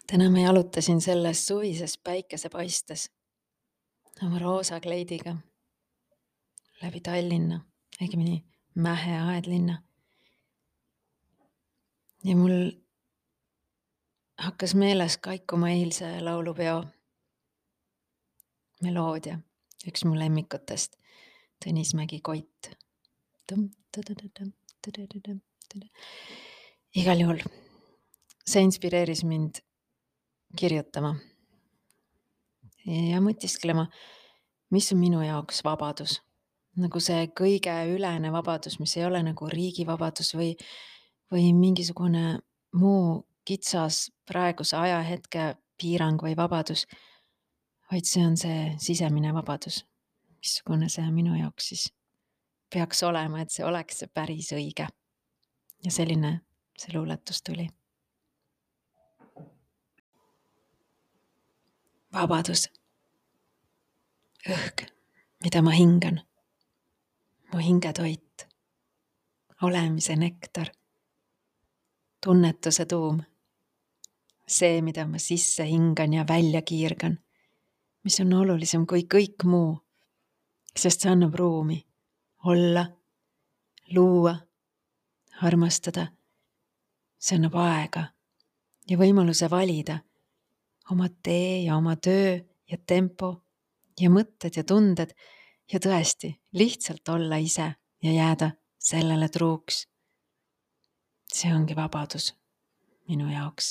Täna ma jalutasin selles suvises päikesepaistes oma roosa kleidiga läbi Tallinna, õigemini Mähe aedlinna. Ja mul hakkas meeles kaikuma eilse laulupeo meloodia, üks mu lemmikutest, Tõnis Mägi-Koit. Igal juhul see inspireeris mind kirjutama ja mõtisklema, mis on minu jaoks vabadus. Nagu see kõige ülene vabadus, mis ei ole nagu riigi vabadus või mingisugune muu kitsas praeguse ajahetke piirang või vabadus, vaid see on see sisemine vabadus. Missugune see minu jaoks siis peaks olema, et see oleks see päris õige. Ja selline see luuletus tuli. Vabadus. Õhk, mida ma hingan. Mu hingetoit. Olemise nektar. Tunnetuse tuum. See, mida ma sisse hingan ja välja kiirgan. Mis on olulisem kui kõik muu. Sest see annab ruumi. Olla. Luua. Armastada. See annab aega. Ja võimaluse valida. Oma tee ja oma töö ja tempo. Ja mõtted ja tunded. Ja tõesti, lihtsalt olla ise ja jääda sellele truuks. See ongi vabadus minu jaoks.